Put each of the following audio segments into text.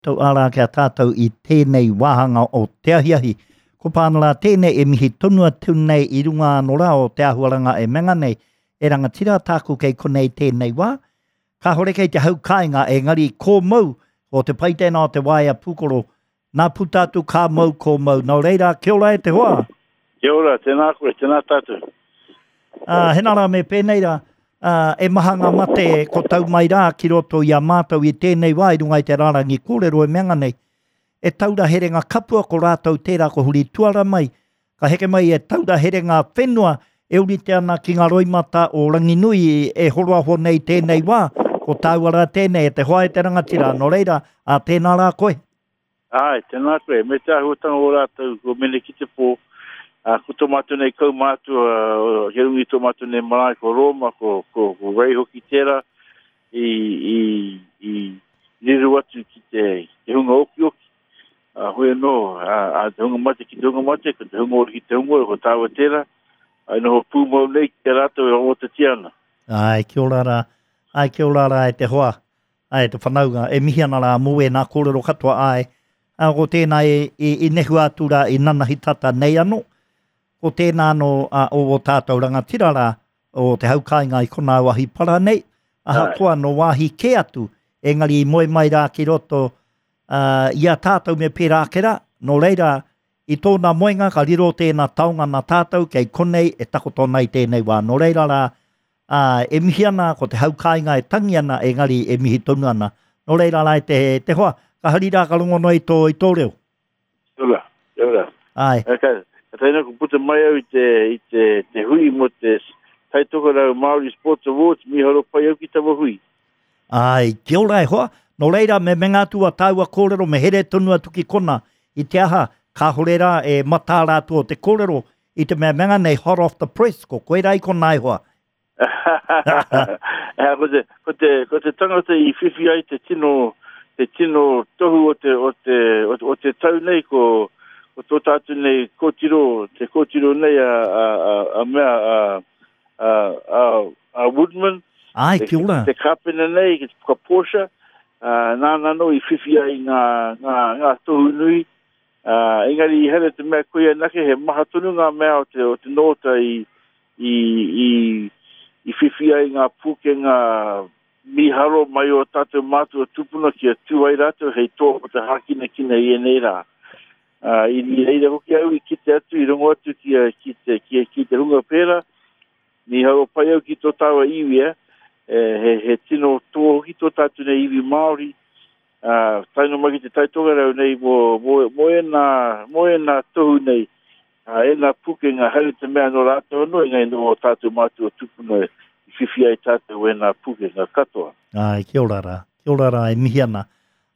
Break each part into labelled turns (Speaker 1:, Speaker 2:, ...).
Speaker 1: Tau ārā ki a tātou i tēnei wāhanga o te ahiahi. Ko Pānara tēnei e mihi tonu atu nei i runga anō rā o te āhuaranga e menga nei, e rangatira tāku kei konei tēnei wā. Kāhore kei te hau kāinga engari kō mau o te pai tēnā o te waea pūkoro Nā puta atu ka mau ko mau. Nō reira, kia ora e te hoa.
Speaker 2: Kia ora, tēnā koe, tēnā tātou.
Speaker 1: Ā, hena rā me pēnei rā, ā, e maha ngā mate ko tau mai rā ki roto i a mātou i tēnei wā i runga i te rārangi kōrero e mea nei, e taura herenga kapua ko rātou tērā ko huri tuara mai, ka heke mai e taura herenga whenua e ūrite ana ki ngā roimata o Ranginui e horoaho nei tēnei wā, ko tāua rā tēnei e te hoa e te rangatira, nō reira, ā tēnā rā koe.
Speaker 2: Āe, tēnā koe, me te āhuatanga o rātou ko Mene ki te pō, ā, ko tō mātou nei kaumātua, kei runga i tō mātou nei marae ko Rōma, ko, ko, ko Ray hoki tērā, i, i, i riro atu ki te, te hunga okioki, ā, hoi anō, ā, ā, te hunga mate ki te hunga mate, ko te hunga ora ki te hunga ora, ko tāua tērā, ā, e noho pūmau nei ki a rātou e rongotatia ana.
Speaker 1: Āe, kia ora rā. Āe, kia ora rā e te hoa, āe, te whanaunga, e mihi ana rā mō ēnā kōrero katoa, āe. Ā, ko tēnā e, i, i nehua atu rā i nanahi tata nei anō, ko tēnā anō ā, o ō tātou rangatira rā, o te hau kāinga i konā o Ahipara nei, ahakoa nō wāhi kē atu, engari i moe mai rā ki roto ā, i a tātou me pērā ake rā, nō reira, i tōna moenga ka riro tēnā taonga nā tātou kei konei e takoto ana i tēnei wā. Nō reira rā, ā, e mihi ana ko te hau kāinga e tangi ana, engari e mihi tonu ana. Nō reira rā e te, te hoa, ka hari rā ka rongo noa i tō, i tō reo.
Speaker 2: Kia ora, kia ora.
Speaker 1: Āe.
Speaker 2: Ka, ka tae ko puta mai au i te, i te, te hui mō te Taitokerau Māori Sports Awards, mīharo pai au ki taua hui.
Speaker 1: Āe, kia ora e hoa. Nō reira, me menga atu a tāua kōrero, me here tonu atu ki kona. I te aha, kāhore rā e mataara atu o te kōrero, i te mea menga nei hot off the press, ko koe rā i kona e hoa.
Speaker 2: Ea, ko te, ko te, ko te tangata i whiwhi ai te tino, te tino tohu o te, o te, o, o te tau nei, ko, ko tō tātou nei kōtiro, te kōtiro nei a, a, a, a mea, a, a, a, a Woodman,
Speaker 1: Ai, kia ora.
Speaker 2: Te, te kāpene nei, ki te puka Porsche, uh, nāna anō i whiwhi ai ngā, ngā, ngā tohu nui, uh, engari i here te mea koia anake, he maha tonu ngā mea o te, o te nōta i, i, i, i whiwhi ai ngā pūkenga mīharo mai o tātou mātua tūpuna kia tū ai rātou hei toa mō te hākinakina i ēnei rā. Uh, i, i reira hoki au i kite atu, i rongo atu ki, ki, te, ki, ki te hunga pērā, mīharo pai au ki tō tāua iwi, eh? E, he, he tino toa hoki tō tātou nei iwi Māori, uh, tae noa mai ki te Taitokerau nei mō, mō, mō ēnā, mō ēnā tohu nei, uh, ēnā pukenga, haere te mea nō rātou anō, engari nō ō tātou mātua tūpuna i whiwhi ai tātou ēnā pukenga katoa.
Speaker 1: Āe, kia ora rā. Kia ora rā, e mihi ana.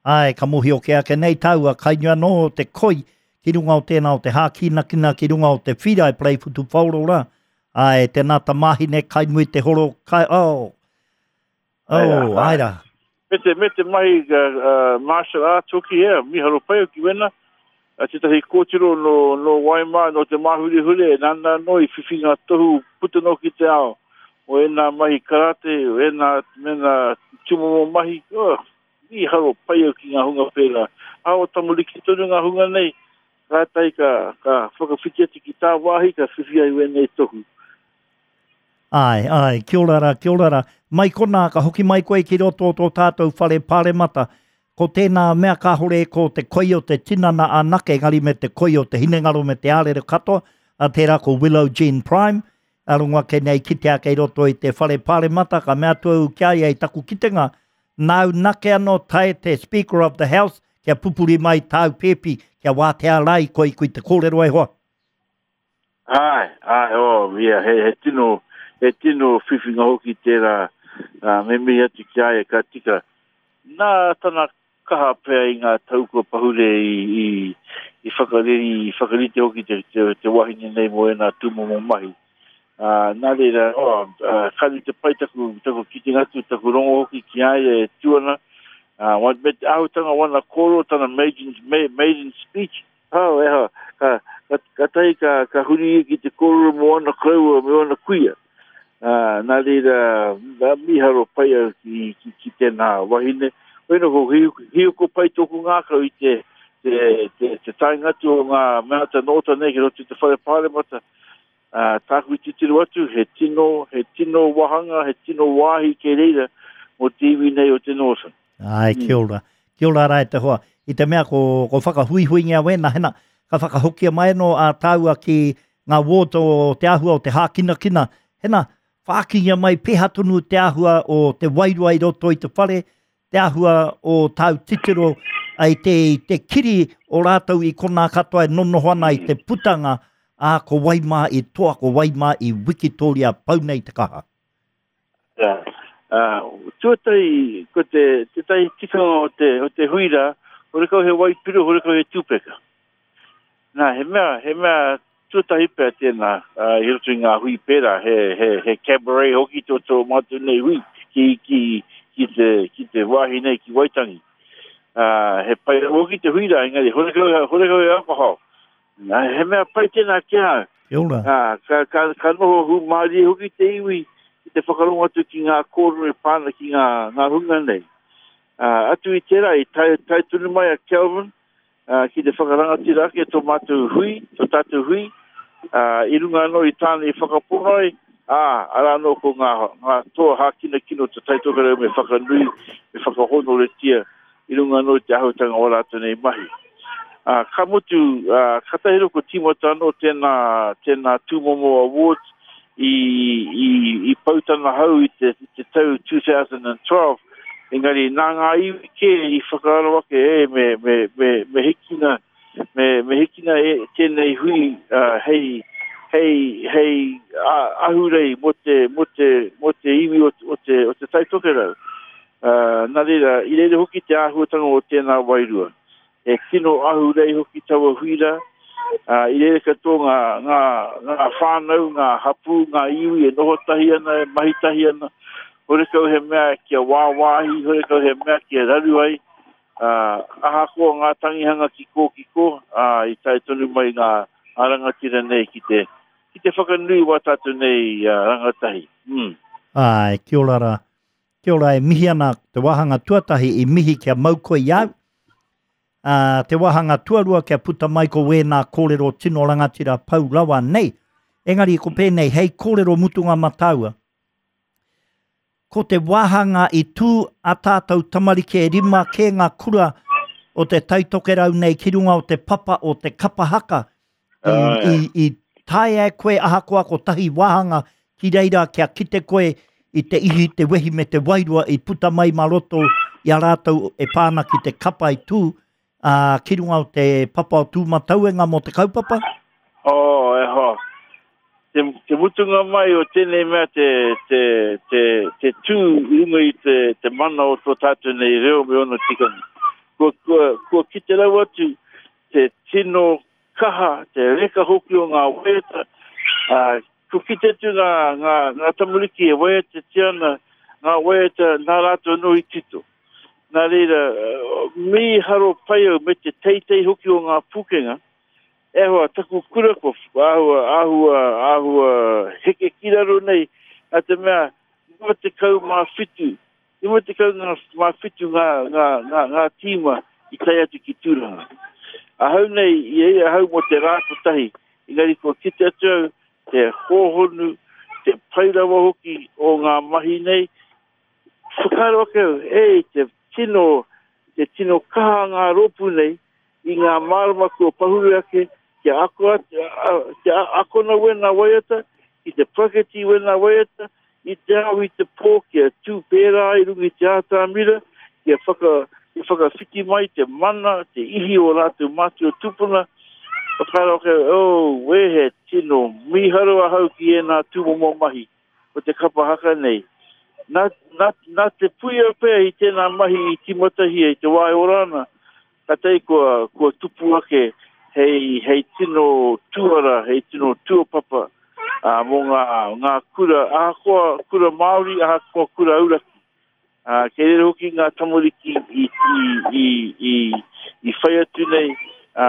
Speaker 1: Āe, ka mōhio kē ake nei tāua, kai nui anō te koi ki runga o tēnā o te hākinakina, ki runga o te whira e parei whutupaoro rā. Āe, tēnā tamāhine, kai nui te horo, kai, oh, oh, āe rā.
Speaker 2: Me te, me te mahi uh, martial arts hoki, yeah, miharo pai hoki wena. Uh, tētahi kōtiro no, no Waimā, no te Māhurehure, nāna anō i whiwhi ngā tohu puta noa ki te ao. O ēnā mahi karate, o ēnā, mēnā tūmomo mahi, oh, Mīharo pai au ki ngā hunga pērā. Ā, o tamariki tonu ngā hunga nei, kātahi ka, ka whakawhiti atu ki tāwāhi, ka whiwhi ai wēnei tohu.
Speaker 1: Āe, āe, kia ora rā, kia ora rā. Mai konā, ka hoki mai koe ki roto o tō tātou whare pāremata. Ko tēnā mea kāhore ko te koi o te tinana anake, engari me te koi o te hinengaro me te ārero katoa, ā, tērā ko Willow Jean Prime, ā, rongo ake nei kitea kei roto i te whare pāremata, ka mea atu au ki a ia i taku kitenga, Nāu nake anō tae te Speaker of the House kia pupuri mai tāu pēpi, kia wātea rā i koe kui te kōrero e hoa.
Speaker 2: Āe, āe, oh, yeah, he, he tino, he tino whiwhinga hoki tērā, uh, me mihi atu ki a ia, ka tika. Nā tana kaha pea i ngā tau kua pahure i, i, i whakareri, i whakarite hoki te, te, te wahine nei mō ēnā tūmomo mahi. Ā, nā reira, oh, ā, ka nui te pai taku, taku kitenga atu, taku rongo hoki ki a ia e tū ana. Ā, wa, me te āhutanga wana kōrero, tana maiden, maiden speech, oh, e hoa, ka, ka, ka tahi ka, ka huri ia ki te kōrero mō ana koroua me wana kuia. Ā, nā reira, nā, mīharo pai au ki, ki, ki tēnā wahine. Koina ko hioko pai tōku ngākau i te, te, te, te taenga atu o ngā mea te nōta nei ki roto i te whare pāremata. Uh, tāku i titiro atu, he tino, he tino wahanga, he tino wāhi kei reira mō te iwi nei o te Northern.
Speaker 1: Ai, mm. kia ora. Kia ora rā e te hoa. I te mea ko, ko whakahuihuingia wēnā, hena, ka whakahokia mai anō a tāua ki ngā ward o te āhua o te hākinakina. Hena, whākingia mai pēhea tonu te āhua o te wairua i roto i te whare, te āhua o tāu titiro i te, i te kiri o rātou i konā katoa e nonoho ana i te putanga, ā, ko wai mā i toa, ko wai mā i wikitōria pau nei te kaha.
Speaker 2: Yeah. Uh, tuatahi, ko te, tētahi tikanga o te, o te hui rā, horekau he waipiro, horekau he tūpeka. Nā, he mea, he mea tuatahi pea tēnā, uh, i roto i ngā hui pērā, he, he, he cabaret hoki tō tō mātou nei hui ki, ki, ki, te, ki te wāhi nei, ki Waitangi. Uh, he pai hoki te hui rā, engari horekau, horekau he alcohol. Nā, he mea pai tēnā ki a au.
Speaker 1: Kia ora.
Speaker 2: Uh, ka, ka, ka noho hūmārie hoki te iwi ki te whakarongo atu ki ngā kōrero e pā ana ki ngā, ngā hunga nei. Uh, atu i tērā, i tae, tae tonu mai a Kelvin, ā, ki te whakarangatira ake tō mātou hui, tō tātou hui, ā, i runga anō i tāna i whakapono ai, ā, arā anō ko ngā, ngā toa hākinakina o Te Tai Tokerau me whakanui, me whakahōnoretia i runga anō i te āhuatanga o ā rātou nei mahi. Ā, ka mutu, ā, kātahi rō ko tīmata anō tēnā, tēnā tūmomo awards i, i, i pau tana hau i te, i te tau 2012, Engari, nā ngā iwi kē i whakaaro ake, e, me, me, me, me hikina, me, me hikina e, tēnei hui uh, hei, hei, hei uh, ahurei mō te, mō te, mō te iwi o, o te, o te Tai Tokerau. Uh, nā reira, i reira hoki te āhuatanga o tēnā wairua. He tino ahurei hoki taua hui rā. Ā, i reira katoa ngā, ngā, ngā whānau, ngā hapū, ngā iwi e noho tahi ana, e mahi tahi ana. Horekau he mea kia wāwāhi, horekau he mea kia raru ai. Ā, ahakoa ngā tangihanga ki kō ki kō, ā, i tae tonu mai ngā, ngā rangatira nei ki te, ki te whakanui wā tātou nei ā, rangatahi. Mm.
Speaker 1: Āe, kia ora rā. Kia ora, e mihi ana te wāhanga tuatahi i mihi kia mau koe i au. Ā, te wāhanga tuarua kia puta mai ko wēnā kōrero tino rangatira pau rawa nei. Engari ko pēnei, hei kōrero mutunga ma tāua. Ko te wāhanga i tū a tātou tamariki e rima kē ngā kura o te Taitokerau nei ki runga o te papa o te kapa haka I, i, i taea e koe ahakoa kotahi wāhanga ki reira kia kite koe i te ihi, te wehi me te wairua i puta mai mā roto i a rātou e pā ana ki te kapa i tū, ā, ki runga o te papa o Tūmatauenga mō te kaupapa?
Speaker 2: Oh, e hoa. Te, te mutunga mai o tēnei mea te, te, te, te tū i runga i te, te mana o tō tātou nei reo me ōna tikanga. Kua, kua, kua kite rawa atu te tino kaha, te reka hoki o ngā waiata, ā, kua kite atu ngā, ngā, ngā tamariki e waiatatia ana ngā waiata nā rātou anō i tito. Nā reira, mīharo pai au me te teitei hoki o ngā pūkenga, e hoa, taku kura kua āhua, āhua, āhua heke ki raro nei, nā te mea, 97 57 ngā, ngā, ngā, ngā tīma i tae atu ki Tūranga. Ahau nei, i reira ahau mō te rā kotahi, engari kua kite atu au te hōhonu, te pai rawa hoki o ngā mahi nei. Whakaaro ake au, e, te tino, te tino kaha ngā rōpū nei i ngā marama kua pahure ake kia ako atu, kia akona wēnā waiata, ki te praketi wēnā waiata, i te ao i te pō kia tū pērā i runga i te ātamira, kia whaka, kia whakawhiti mai te mana, te ihi o rātou mātua tūpuna, whakaaro ake, oh, wē he tino mīharo ahau ki ēnā tūmomo mahi o te kapa haka nei. Nā, nā, nā te puia pea i tēnā mahi i tīmatahia i te wā e ora ana, Kātahi kua, kua tupu ake hei, hei tino tuara, hei tino tuapapa ā, mō ngā, ngā kura, ahakoa kura Māori, ahakoa kura auraki. Ā, kei reira hoki ngā tamariki i, i, i, i, i whai atu nei ā,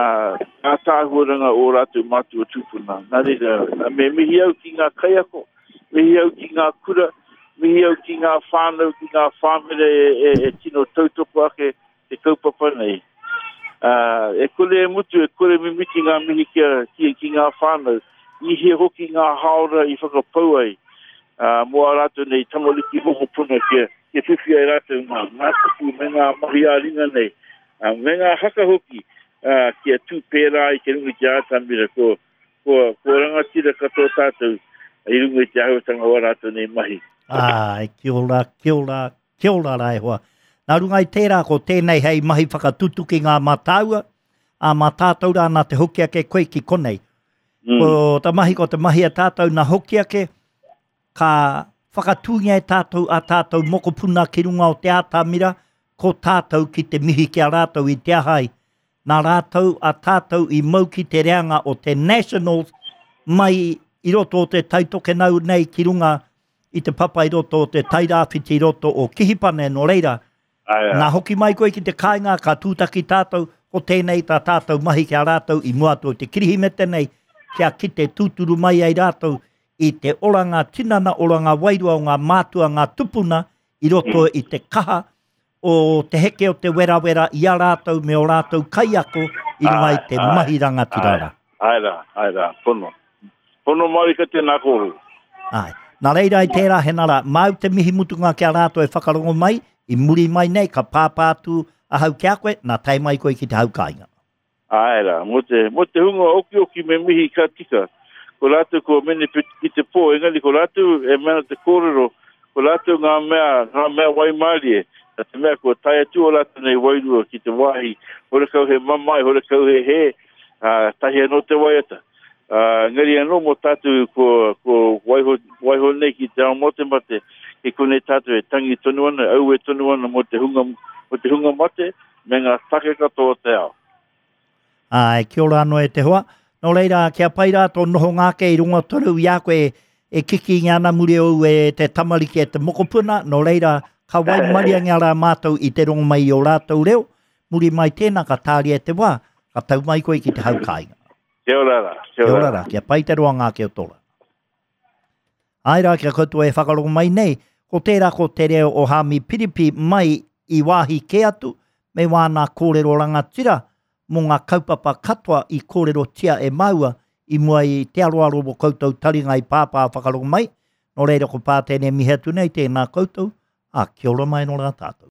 Speaker 2: ngā tāhuaranga o rātou mātua tūpuna. Nā reira, me mihi au ki ngā kaiako, mihi au ki ngā kura, Mihi au ki ngā whānau, ki ngā whāmere e, e, e tino tautoko ake te kaupapa nei. Uh, e kore e mutu, e kore mimiti ngā mihi ki, a, ki, ki ngā whānau. I hia hoki ngā haora i whakapau ai uh, mō a rātou nei tamariki mokopuna kia, kia whiwhi ai rātou ngā, ngā kupu me ngā mahi ā-ringa nei, uh, me ngā haka hoki uh, kia tū pērā i te runga i te ātamira. Ko, Kua, kua rangatira katoa tātou i runga i te āhuatanga o ā rātou nei mahi.
Speaker 1: Āe, kia ora, kia ora, kia ora rā e hoa. Nā runga i tērā, ko tēnei hei mahi whakatutuki ngā mā tāua, ā, mā tātou rā nā te hoki ake koe ki konei. Mm. Ko ta mahi, ko te mahi a tātou nā hoki ake, ka whakatūngia e tātou a tātou mokopuna ki runga o te ātamira, ko tātou ki te mihi ki a rātou i te aha ai. Nā rātou a tātou i mau ki te reanga o te Nationals mai i roto o te Taitokenau nei ki runga i te papa i roto o te Tairāwhiti i roto o Kihipane, nō reira, nā hoki mai koe ki te kāinga ka tūtaki tātou, ko tēnei tā tātou mahi ki a rātou i mua atu o te Kirihimete nei, kia kite tūturu mai ai rātou i te oranga tinana, oranga wairua o ngā mātua, ngā tupuna i roto i te kaha o te heke o te werawera i a rātou me ō rātou kaiako i runga i te mahi rangatira
Speaker 2: rā. Āe rā, āe rā, pono. Pono marika tēnā kōrero.
Speaker 1: Āe. Nā reira i tērā he nara, māu te mihi mutunga ki a rātou e whakarongo mai, i muri mai nei ka pāpā atu ahau ki a koe, nā tae mai koe ki te hau kāinga.
Speaker 2: Āe rā, mō te, mō te hunga okioki me mihi ka tika. Ko rātou kua mene ki te pō, engari ko rātou e mea ana te kōrero, ko rātou ngā mea, ngā mea waimārie, nā te mea kua tae atu ō rātou nei wairua ki te wāhi, horekau he mamae, horekau he hē, ā, tahi anō te waiata. Ā, engari anō mō tātou kua, kua waiho, waiho nei ki te ao matemate, kei konei tātou e tangi tonu ana, aue tonu ana mō te hunga, mō te hunga mate, me ngā take katoa o te ao.
Speaker 1: Āe, kia ora anō e te hoa. Nō reira, kia pai rā tō nohonga ake i runga tonu i a koe e kikingia ana muri ou e te tamariki e te mokopuna, nō reira, ka waimariangia rā mātou i te rongo mai i ō rātou reo, muri mai tēnā ka tāria e te wā, ka tau mai koe ki te hau kāinga.
Speaker 2: Kia ora rā,
Speaker 1: kia ora rā. Kia pai te roanga ake o tō rā. Āe rā, kia koutou e whakarongo mai nei, ko tērā ko te reo o Haami Piripi mai i wāhi kē atu me wāna kōrero rangatira mō ngā kaupapa katoa i kōrerotia e māua i mua i te aroaro o koutou taringa i pāpā whakarongo mai, nō reira ko Pātene e mihi atu nei, tēnā koutou, ā, kia ora mai nō rā tātou.